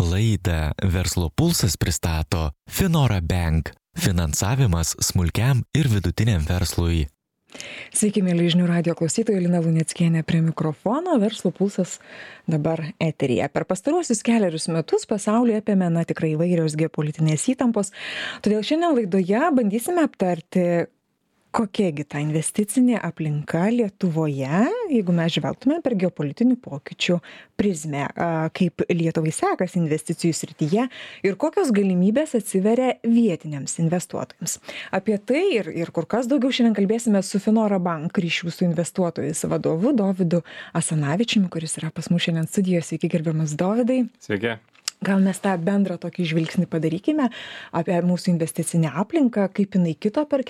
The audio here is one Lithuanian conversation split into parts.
Laidą Verslo pulsas pristato Finora Bank – finansavimas smulkiam ir vidutiniam verslui. Sveiki, mėly žinių radijo klausytojai, Lina Luneckienė prie mikrofono, Verslo pulsas dabar eteryje. Per pastaruosius kelerius metus pasaulyje apėmė tikrai įvairios geopolitinės įtampos, todėl šiandien laidoje bandysime aptarti, kokiagi ta investicinė aplinka Lietuvoje, jeigu mes žvelgtume per geopolitinių pokyčių prizmę, kaip Lietuvai sekasi investicijų srityje ir kokios galimybės atsiveria vietiniams investuotojams. Apie tai ir kur kas daugiau šiandien kalbėsime su Finora Bank ryšių su investuotojais vadovu Dovydu Asanavičiumi, kuris yra pas mus šiandien studijoje. Sveiki, gerbiamas Dovydai. Sveiki. Gal mes tą bendrą tokį žvilgsnį padarykime apie mūsų investicinę aplinką, kaip jinai kito per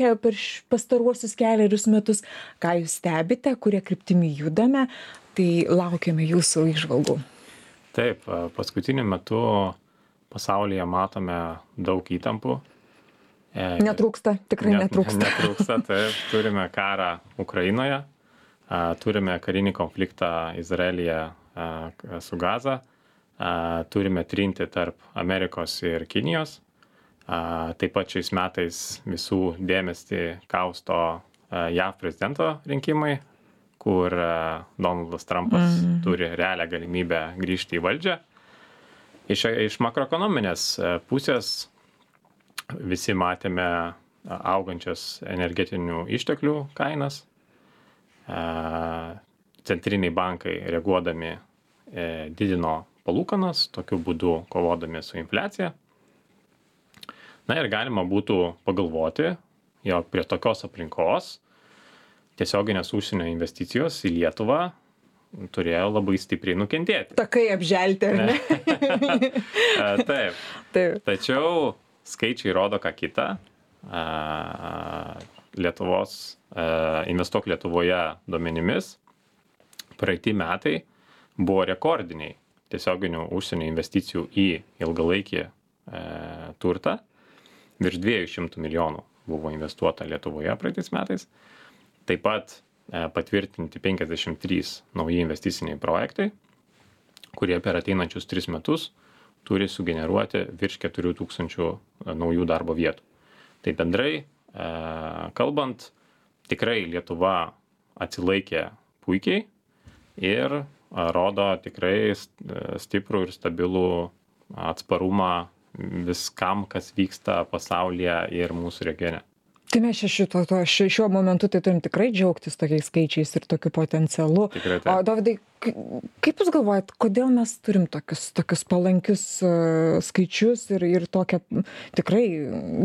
pastaruosius kelerius metus, ką jūs stebite, kurie kryptimi judame, tai laukiame jūsų įžvalgų. Taip, paskutiniu metu pasaulyje matome daug įtampų. Netrūksta, tikrai netrūksta. Netrūksta, taip, turime karą Ukrainoje, turime karinį konfliktą Izraelyje su Gaza. Turime trinti tarp Amerikos ir Kinijos. Taip pat šiais metais visų dėmesį kausto JAV prezidento rinkimai, kur Donaldas Trumpas turi realią galimybę grįžti į valdžią. Iš makroekonominės pusės visi matėme augančias energetinių išteklių kainas. Centriniai bankai reaguodami didino palūkanas, tokiu būdu kovodami su infliacija. Na ir galima būtų pagalvoti, jog prie tokios aplinkos tiesioginės užsienio investicijos į Lietuvą turėjo labai stipriai nukentėti. Takai apželti, ar ne? Taip. Tačiau skaičiai rodo ką kitą. Lietuvos Investuok Lietuvoje duomenimis praeiti metai buvo rekordiniai tiesioginių užsienio investicijų į ilgalaikį turtą. Virš 200 milijonų buvo investuota Lietuvoje praeitais metais. Taip pat patvirtinti 53 nauji investiciniai projektai, kurie per ateinančius 3 metus turi sugeneruoti virš 4000 naujų darbo vietų. Tai bendrai kalbant, tikrai Lietuva atsilaikė puikiai ir rodo tikrai stiprų ir stabilų atsparumą viskam, kas vyksta pasaulyje ir mūsų regione. Tai mes šiuo momentu tai turim tikrai džiaugtis tokiais skaičiais ir tokiu potencialu. Tikrai taip. O Dovydai, kaip jūs galvojat, kodėl mes turim tokius palankius skaičius ir tokią tikrai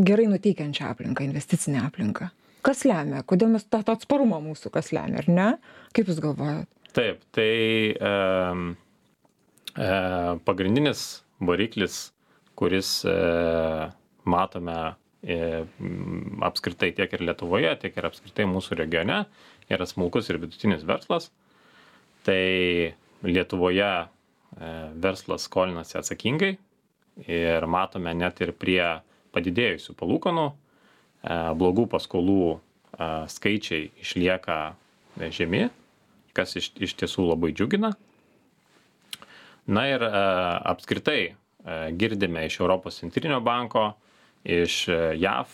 gerai nuteikiančią aplinką, investicinę aplinką? Kas lemia? Kodėl mes tą atsparumą mūsų kas lemia, ar ne? Kaip jūs galvojat? Taip, tai pagrindinis variklis, kuris matome apskritai tiek ir Lietuvoje, tiek ir apskritai mūsų regione, yra smulkus ir vidutinis verslas. Tai Lietuvoje verslas skolinasi atsakingai ir matome net ir prie padidėjusių palūkanų, blogų paskolų skaičiai išlieka žemi, kas iš tiesų labai džiugina. Na ir apskritai girdime iš Europos centrinio banko, iš JAV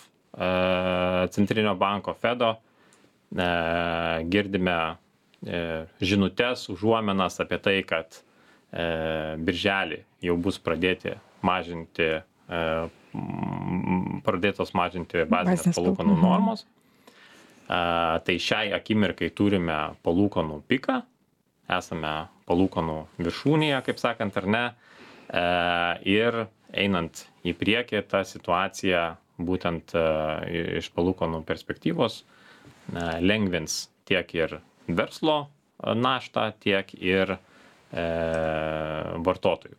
centrinio banko Fedo, girdime žinutes, užuomenas apie tai, kad birželį jau bus pradėtos mažinti bazinės palūkanų normos. Tai šiai akimirkai turime palūkanų piką, esame palūkanų viršūnėje, kaip sakant, ar ne, ir einant į priekį tą situaciją būtent iš palūkanų perspektyvos lengvins tiek ir verslo naštą, tiek ir vartotojų.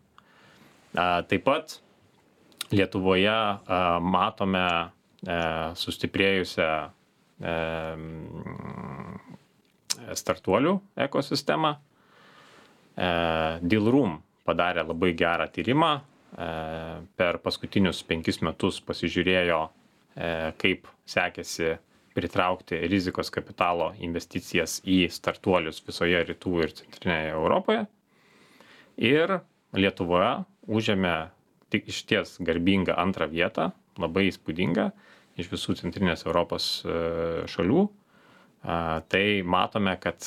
Taip pat Lietuvoje matome sustiprėjusią startuolių ekosistemą. Dealroom padarė labai gerą tyrimą. Per paskutinius 5 metus pasižiūrėjo, kaip sekėsi pritraukti rizikos kapitalo investicijas į startuolius visoje rytų ir centrinėje Europoje. Ir Lietuvoje užėmė tik išties garbingą antrą vietą, labai įspūdingą iš visų centrinės Europos šalių. Tai matome, kad,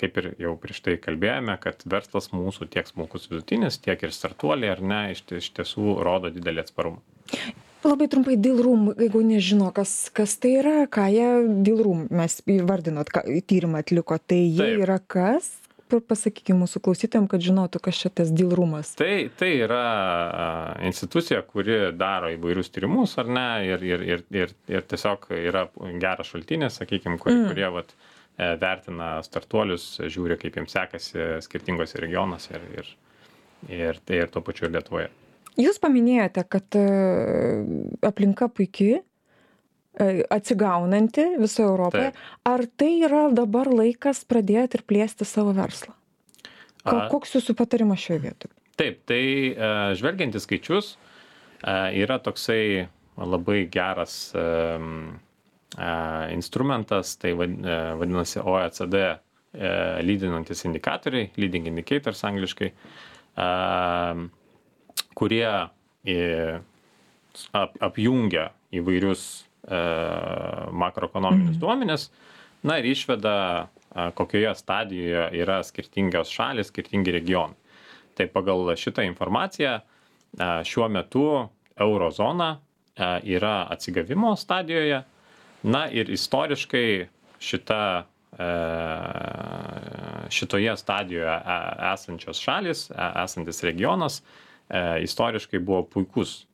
kaip ir jau prieš tai kalbėjome, kad verslas mūsų tiek smulkus vidutinis, tiek ir startuoliai, ar ne, iš tiesų rodo didelį atsparumą. Labai trumpai Dealroom, jeigu nežino, kas tai yra, ką jie Dealroom, mes įvardinot, tyrimą atliko, tai jie yra kas? Pasakykime mūsų klausytojams, kad žinotų, kas čia tas Dealroomas. Tai yra institucija, kuri daro įvairius tyrimus, ar ne, ir tiesiog yra geras šaltinis, sakykime, kurie vertina startuolius, žiūri, kaip jiems sekasi skirtingose regionuose ir tuo pačiu ir Lietuvoje. Jūs paminėjote, kad aplinka puikiai, atsigaunanti visoje Europoje. Taip. Ar tai yra dabar laikas pradėti ir plėsti savo verslą? Koks jūsų patarimas šioje vietoje? Taip, tai žvelgiant į skaičius, yra toksai labai geras instrumentas, tai vadinasi OECD lydinantis indikatoriai, leading indicators angliškai, kurie apjungia įvairius makroekonominius duomenis, ir išveda, kokioje stadijoje yra skirtingios šalys, skirtingi regionai. Tai pagal šitą informaciją šiuo metu eurozona yra atsigavimo stadijoje, ir istoriškai šitoje stadijoje esančios šalys, esantis regionas, istoriškai buvo puikus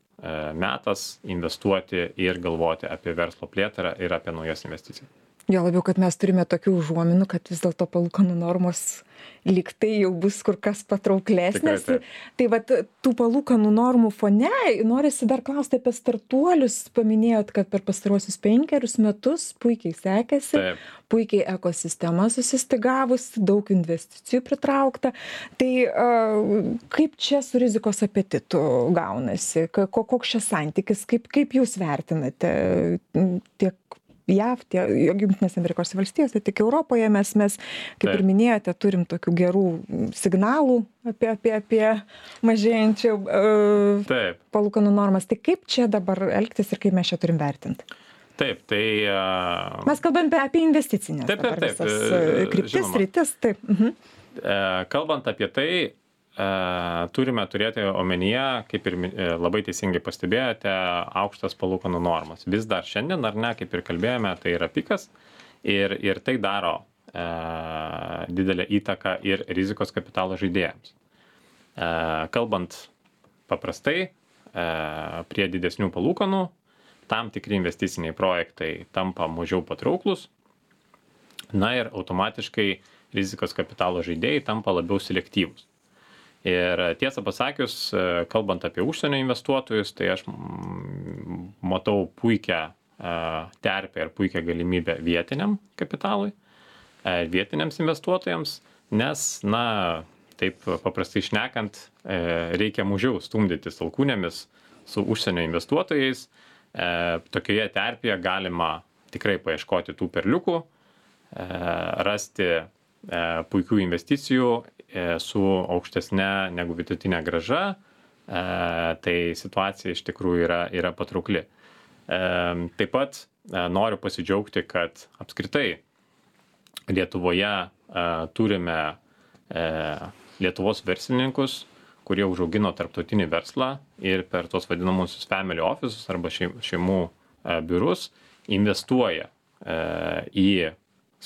metas investuoti ir galvoti apie verslo plėtrą ir apie naujas investicijas. Jo labiau, kad mes turime tokių užuominų, kad vis dėlto palūkanų normos lyg tai jau bus kur kas patrauklesnės. Tai tų palūkanų normų fone norisi dar klausti apie startuolius. Paminėjot, kad per pastarosius 5 metus puikiai sekėsi, puikiai ekosistema susistygavus, daug investicijų pritraukta. Tai kaip čia su rizikos apetitu gaunasi? Koks čia santykis? Kaip jūs vertinate tiek JAV, Jungtinėse Amerikos valstijose, tik Europoje mes, kaip ir minėjote, turim tokių gerų signalų apie mažėjančią palūkanų normas. Tai kaip čia dabar elgtis ir kaip mes čia turim vertinti? Taip, tai... Mes kalbame apie investicinės. Taip. Kryptis, rytis, taip. Kalbant apie tai, turime turėti omenyje, kaip ir labai teisingai pastebėjote, aukštas palūkanų normas. Vis dar šiandien, ar ne, kaip ir kalbėjome, tai yra pikas ir tai daro didelę įtaką ir rizikos kapitalo žaidėjams. Kalbant paprastai, prie didesnių palūkanų, tam tikri investiciniai projektai tampa mažiau patrauklus, ir automatiškai rizikos kapitalo žaidėjai tampa labiau selektyvūs. Ir tiesą pasakius, kalbant apie užsienio investuotojus, tai aš matau puikią terpę ir puikią galimybę vietiniam kapitalui, vietiniams investuotojams, nes, taip paprastai šnekant, reikia mažiau stumdytis alkūnėmis su užsienio investuotojais. Tokioje terpėje galima tikrai paieškoti tų perliukų, rasti puikių investicijų su aukštesne negu vidutinė grąža, tai situacija iš tikrųjų yra patraukli. Taip pat noriu pasidžiaugti, kad apskritai Lietuvoje turime Lietuvos verslininkus, kurie užaugino tarptautinį verslą ir per tos vadinamusius family offices arba šeimų biurus investuoja į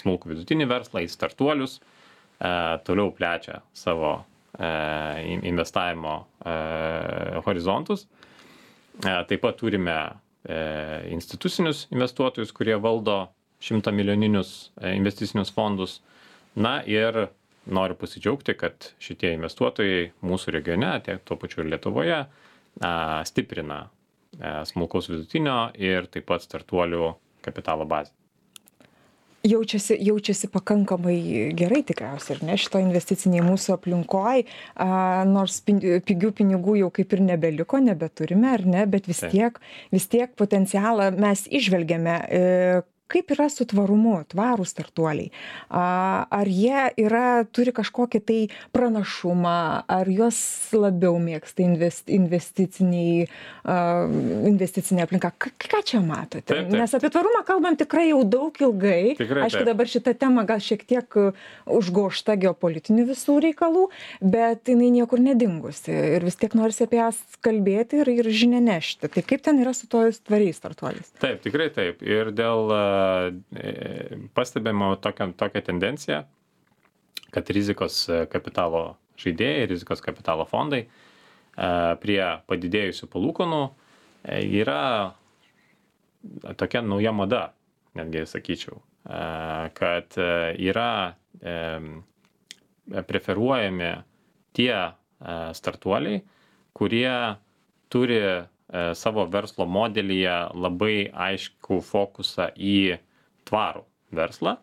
smulkų vidutinį verslą, į startuolius, toliau plečia savo investavimo horizontus. Taip pat turime institucinius investuotojus, kurie valdo 100 milijoninius investicinius fondus. Ir noriu pasidžiaugti, kad šitie investuotojai mūsų regione, tiek tuo pačiu ir Lietuvoje, stiprina smulkaus vidutinio ir taip pat startuolių kapitalo bazę. Jaučiasi pakankamai gerai tikriausiai, ar ne, šito investiciniai mūsų aplinkoj, nors pigių pinigų jau kaip ir nebeliko, nebeturime, ar ne, bet vis tiek potencialą mes išvelgiame. kaip yra su tvarumu, tvarūs startuoliai? Ar jie turi kažkokį tai pranašumą, ar juos labiau mėgsta investicinė aplinka? Ką čia matote? Taip. Nes apie tvarumą kalbam tikrai jau daug ilgai. Tikrai, aišku, dabar šita tema gal šiek tiek užgožta geopolitinių visų reikalų, bet jinai niekur nedingusi ir vis tiek norisi apie jas kalbėti ir žinia nešti. Tai kaip ten yra su tojus tvariais startuoliais? Taip, tikrai taip. Ir dėl pastebėjimo tokią tendenciją, kad rizikos kapitalo žaidėjai, rizikos kapitalo fondai prie padidėjusių palūkanų yra tokia nauja mada, netgi sakyčiau, kad yra preferuojami tie startuoliai, kurie turi savo verslo modelyje labai aiškų fokusą į tvarų verslą.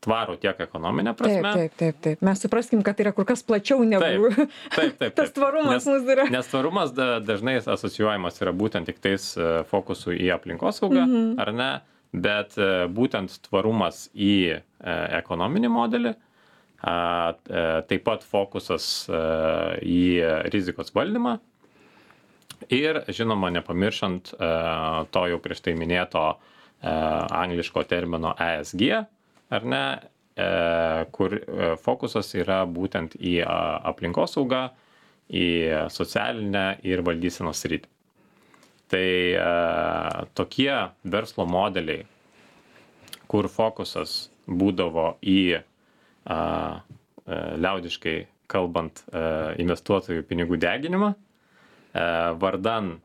Tvarų tiek ekonominė prasme. Taip. Mes supraskim, kad tai yra kur kas plačiau negu taip. tas tvarumas mūsų yra. Nes tvarumas dažnai asocijuojamas yra būtent tik tais fokusu į aplinkosaugą, ar ne, bet būtent tvarumas į ekonominį modelį, taip pat fokusas į rizikos valdymą ir, žinoma, nepamiršant to jau prieš tai minėto angliško termino ESG, ar ne, kur fokusas yra būtent į aplinkosaugą, į socialinę ir valdysenos sritį. Tai tokie verslo modeliai, kur fokusas būdavo į, liaudiškai kalbant, investuotojų pinigų deginimą, vardan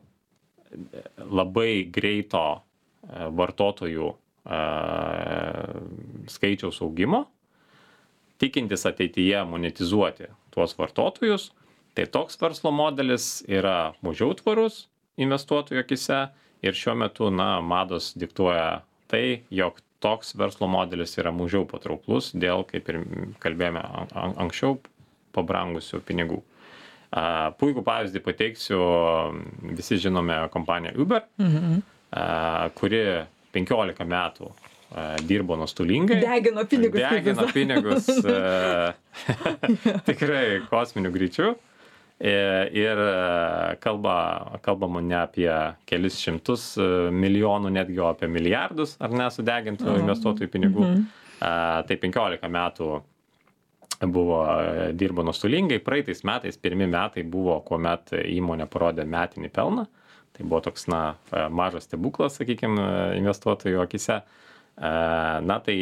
labai greito vartotojų skaičiaus augimo, tikintis ateityje monetizuoti tuos vartotojus, tai toks verslo modelis yra mažiau tvarus investuotojų akise ir šiuo metu, mados diktuoja tai, jog toks verslo modelis yra mažiau patrauklus dėl, kaip ir kalbėjome anksčiau, pabrangusių pinigų. Puikų pavyzdį pateiksiu, visi žinome kompaniją Uber, kuri 15 metų dirbo nuostolingai. Degino pinigus. Tikrai kosminiu greičiu. Ir kalbama ne apie kelis šimtus milijonų, netgi apie milijardus, ar ne, sudegintų investuotojų pinigų. Tai 15 metų dirbo nuostolingai. Praeitais metais, pirmi metai buvo, kuomet įmonė parodė metinį pelną. Tai buvo toks, mažas stebuklas, sakykime, investuotojų akise. Tai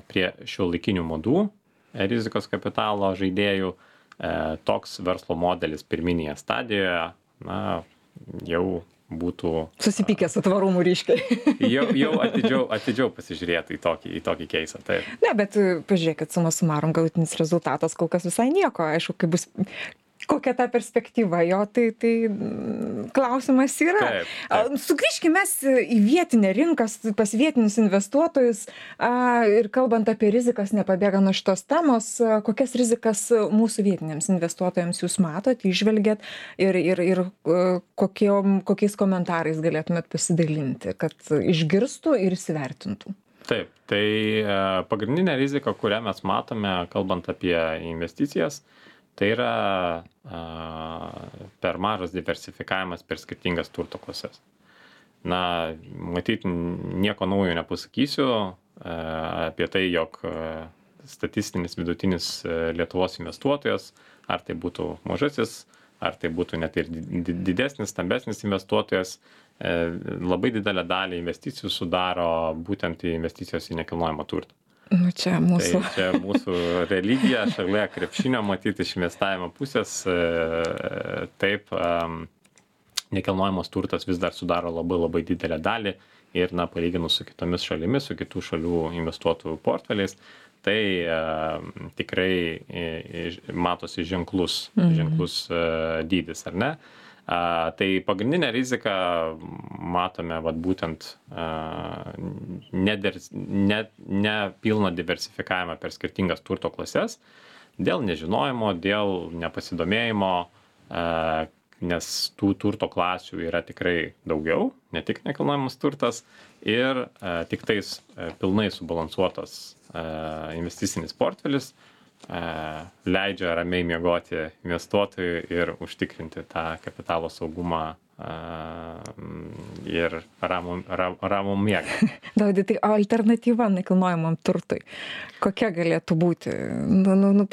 prie šiuolaikinių madų rizikos kapitalo žaidėjų toks verslo modelis pirminėje stadijoje, jau būtų susipykęs su tvarumu ryškiai. jau atidžiau pasižiūrėti į tokį keisą. Taip. Ne, bet pažiūrėkit, suma sumarum, galutinis rezultatas kol kas visai nieko. Aišku, kaip bus, kokia ta perspektyva jo, tai klausimas yra. Taip. Sugrįžkime į vietinę rinką, pas vietinius investuotojus ir kalbant apie rizikas, nepabėga nuo šitos temos, kokias rizikas mūsų vietiniams investuotojams jūs matot, įžvelgiat ir kokiais komentarais galėtumėt pasidalinti, kad išgirstų ir įsivertintų. Taip, tai pagrindinė rizika, kurią mes matome, kalbant apie investicijas, tai yra per mažas diversifikavimas per skirtingas turto klases. Matyt, nieko naujo nepasakysiu apie tai, jog statistinis vidutinis Lietuvos investuotojas, ar tai būtų mažasis, ar tai būtų net ir didesnis, stambesnis investuotojas, labai didelę dalį investicijų sudaro būtent investicijos į nekilnojamą turtą. Čia mūsų. Tai čia mūsų religija, šalia krepšinio matyti iš investavimo pusės, taip, nekilnojamas turtas vis dar sudaro labai didelę dalį ir, palyginus su kitomis šalimis, su kitų šalių investuotojų portfeliais, tai tikrai matosi ženklus dydis, ar ne? Tai pagrindinę riziką matome būtent nepilną diversifikavimą per skirtingas turto klases dėl nežinojimo, dėl nepasidomėjimo, nes tų turto klasių yra tikrai daugiau, ne tik nekilnojamas turtas ir tiktais pilnai subalansuotas investicinis portfelis leidžia ramiai miegoti investuotojui ir užtikrinti tą kapitalo saugumą ir ramų miegą. Davidai, tai alternatyva nekilnojamam turtui, kokia galėtų būti?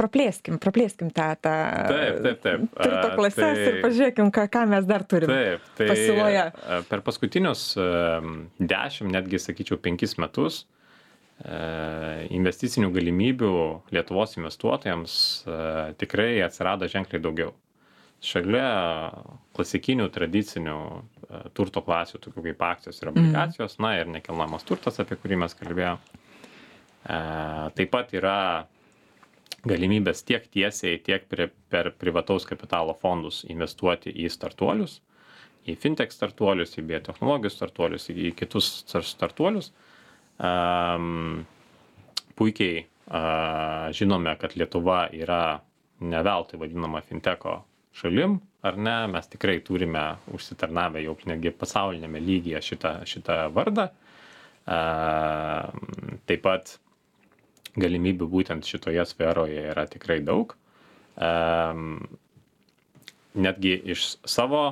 Praplėskim tą Taip. turto klases ir pažiūrėkim, ką mes dar turim pasiūloje. Per paskutinius 10, netgi sakyčiau 5 metus, investicinių galimybių Lietuvos investuotojams tikrai atsirado ženkliai daugiau. Šalia klasikinių tradicinių turto klasių, tokių kaip akcijos ir obligacijos, na ir nekilnojamas turtas, apie kurį mes kalbėjome, taip pat yra galimybės tiek tiesiai, tiek per privataus kapitalo fondus investuoti į startuolius, į fintech startuolius, į biotechnologijų startuolius, į kitus startuolius. Puikiai žinome, kad Lietuva yra ne veltui vadinama fintecho šalim, ar ne, mes tikrai turime užsitarnavę jau netgi pasaulinėme lygyje šitą vardą. Taip pat galimybių būtent šitoje sferoje yra tikrai daug. Netgi iš savo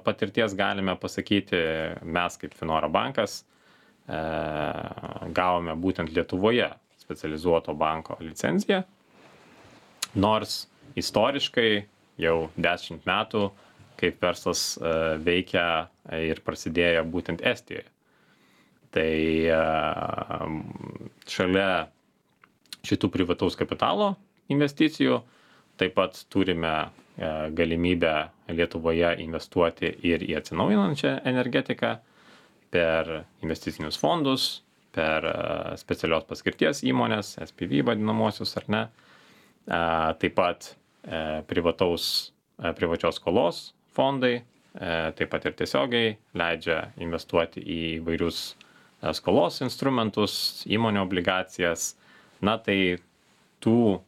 patirties galime pasakyti, mes kaip Finora bankas gavome būtent Lietuvoje specializuoto banko licenciją, nors istoriškai jau 10 metų, kaip verslas veikia ir prasidėjo būtent Estijoje. Tai šalia šitų privataus kapitalo investicijų taip pat turime galimybę Lietuvoje investuoti ir į atsinaujinančią energetiką per investicinius fondus, per specialios paskirties įmonės, SPV vadinamosius ar ne. Taip pat privačios skolos fondai, taip pat ir tiesiogiai leidžia investuoti į įvairius skolos instrumentus, įmonių obligacijas. Na tai tų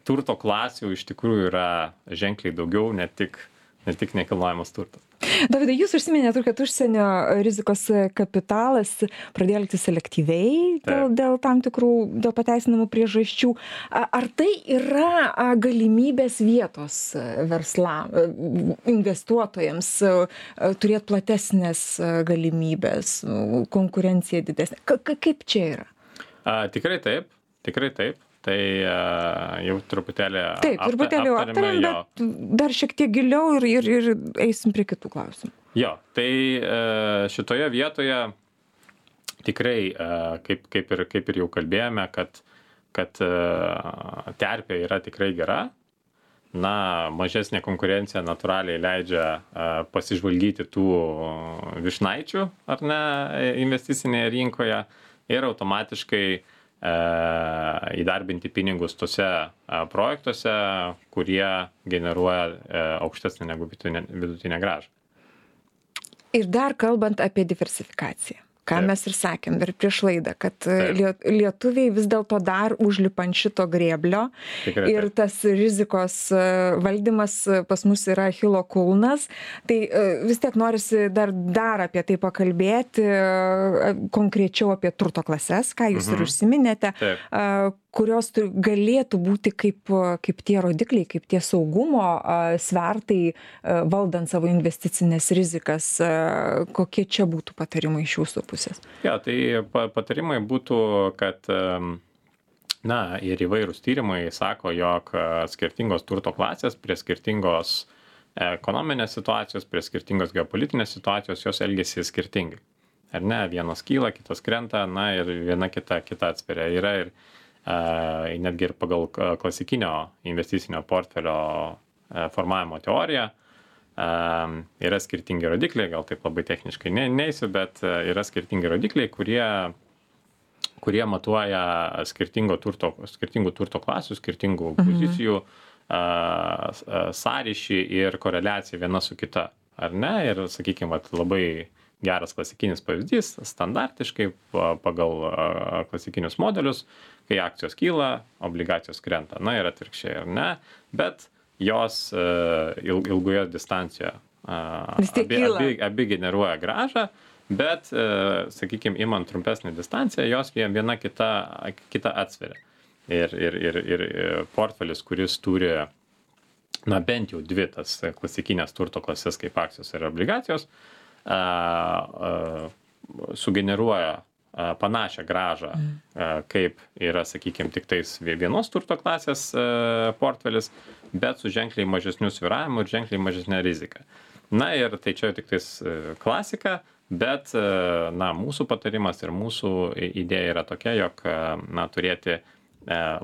turto klasių iš tikrųjų yra ženkliai daugiau, ne tik nekilnojamas turtas. Davidai, jūs užsiminėte, kad užsienio rizikos kapitalas pradėjo elgtis selektyviai dėl tam tikrų, dėl pateisinamų priežasčių. Ar tai yra galimybės vietos investuotojams turėti platesnės galimybės, konkurencija didesnė? Kaip čia yra? Tikrai taip. Tai jau truputėlį aptarėm, bet dar šiek tiek giliau ir eisim prie kitų klausimų. Jo, tai šitoje vietoje tikrai, kaip ir jau kalbėjome, kad terpė yra tikrai gera. Na, mažesnė konkurencija natūraliai leidžia pasižvalgyti tų vyšnaičių, ar ne, investicinėje rinkoje ir automatiškai įdarbinti pinigus tose projektuose, kurie generuoja aukštesnę negu vidutinę grąžą. Ir dar kalbant apie diversifikaciją, ką mes ir sakėm ir prieš laidą, kad lietuviai vis dėlto dar užlipa ant šito grėblio ir tas rizikos valdymas pas mus yra Achilo kulnas. Tai vis tiek norisi dar apie tai pakalbėti, konkrečiau apie turto klases, ką jūs ir užsiminėte, kurios galėtų būti kaip tie rodikliai, kaip tie saugumo svertai valdant savo investicinės rizikas. Kokie čia būtų patarimai iš jūsų pusės? Ja, tai patarimai būtų, kad ir įvairūs tyrimai sako, jog skirtingos turto klasės prie skirtingos ekonominės situacijos, prie skirtingos geopolitinės situacijos, jos elgesi skirtingai. Ar ne, vienos kyla, kitos krenta, ir viena kita atsperia. Yra ir netgi ir pagal klasikinio investicinio portfelio formavimo teoriją yra skirtingi rodikliai, gal taip labai techniškai neisiu, bet yra skirtingi rodikliai, kurie matuoja skirtingų turto klasių, skirtingų pozicijų sąryšį ir koreliaciją viena su kita. Ar ne? Ir, sakykime, labai geras klasikinis pavyzdys, standartiškai pagal klasikinius modelius, kai akcijos kyla, obligacijos krenta. Ir atvirkščiai, ar ne? Bet jos ilgoje distancijoje abi generuoja grąžą, bet, sakykime, imant trumpesnį distanciją, jos viena kita atsveria. Ir portfelis, kuris turi, bent jau dvi tas klasikinės turto klasės kaip akcijos ir obligacijos, sugeneruoja panašią grąžą, kaip yra, sakykime, tik tais vienos turto klasės portfelis, bet su ženkliai mažesniu svyravimu ir ženkliai mažesnė rizika. Na ir tai čia tik tais klasika, bet, mūsų patarimas ir mūsų idėja yra tokia, jog, turėti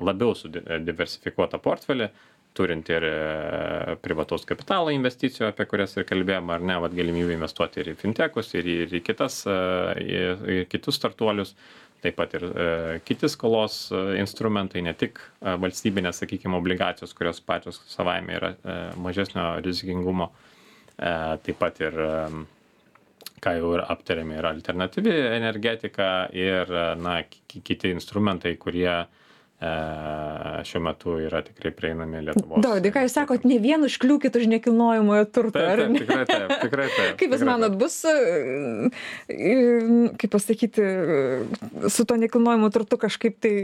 labiau diversifikuotą portfelį, turint ir privataus kapitalo investicijų, apie kurias ir kalbėjome, ar ne, galimybę investuoti ir į fintechus, ir į kitus startuolius, taip pat ir kiti skolos instrumentai, ne tik valstybinės, sakykime, obligacijos, kurios pačios savaime yra mažesnio rizikingumo, taip pat ir, ką jau ir aptarėme, yra alternatyvi energetika ir, kiti instrumentai, kurie šiuo metu yra tikrai prieinami Lietuvos. Dovydai, ką jūs sakot, ne vien užkliūkit už nekilnojamojo turto, ar ne? Tikrai taip. Kaip jūs manot, bus, kaip pasakyti, su to nekilnojamojo turtu kažkaip tai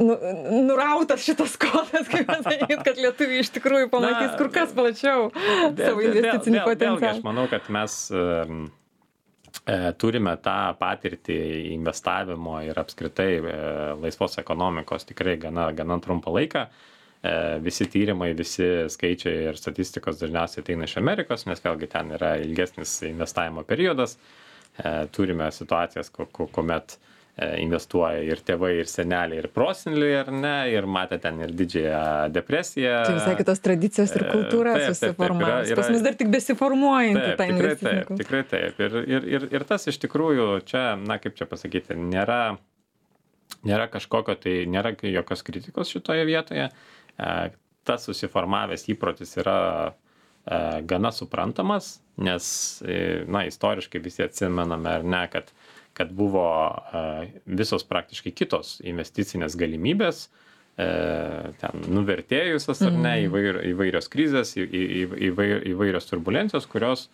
nurautas šitas kodas, kaip pasakyti, kad lietuviai iš tikrųjų pamatys kur kas plačiau savo investicinį potencialą? Vėlgi, aš manau, kad mes turime tą patirtį investavimo ir apskritai laisvos ekonomikos tikrai gana trumpą laiką. Visi tyrimai, visi skaičiai ir statistikos dažniausiai ateina iš Amerikos, nes vėlgi ten yra ilgesnis investavimo periodas. Turime situacijas, kuomet investuoja ir tėvai, ir seneliai, ir proseneliai, ar ne, ir matė ten ir didžiąją depresiją. Tai visai kitos tradicijos ir kultūra susiformavus. Pas mus dar tik besiformuojantį tą investicinį kultūrą. Tikrai taip. Ir tas iš tikrųjų čia, kaip čia pasakyti, nėra kažkokio, tai nėra jokios kritikos šitoje vietoje. Tas susiformavęs įprotis yra gana suprantamas, nes, istoriškai visi atsimename, ar ne, kad buvo visos praktiškai kitos investicinės galimybės, ten nuvertėjusios ar ne, įvairios krizės, įvairios turbulencijos, kurios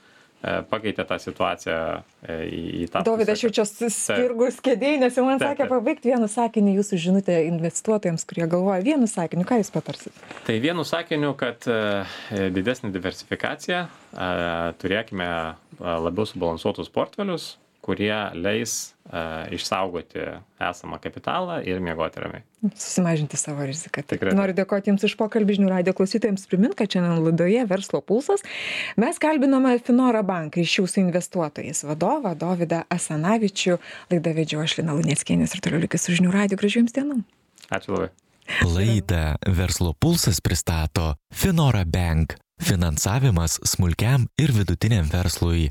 pakeitė tą situaciją į tą. Dovydai, aš jau čia spirgus kėdėj, nes jau man sakė pabaigti vienu sakiniu jūsų žinutę investuotojams, kurie galvoja vienu sakiniu. Ką jūs patarsit? Tai vienu sakiniu, kad didesnė diversifikacija, turėkime labiau subalansuotus portfelius, kurie leis išsaugoti esamą kapitalą ir miegoti ramiai. Susimažinti savo riziką. Noriu dėkoti Jums už pokalbį. Žinių radijo klausytojams primint, kad šiandien laidoje Verslo pulsas mes kalbinome Finora Bank ryšių su investuotojais vadovą Dovydą Asanavičių. Laidą vedžiau aš Lina Luneckienė ir toliau likit su Žinių radiju. Gražių Jums dienų. Ačiū labai. Laidą Verslo pulsas pristato Finora Bank. Finansavimas smulkiam ir vidutiniam verslui.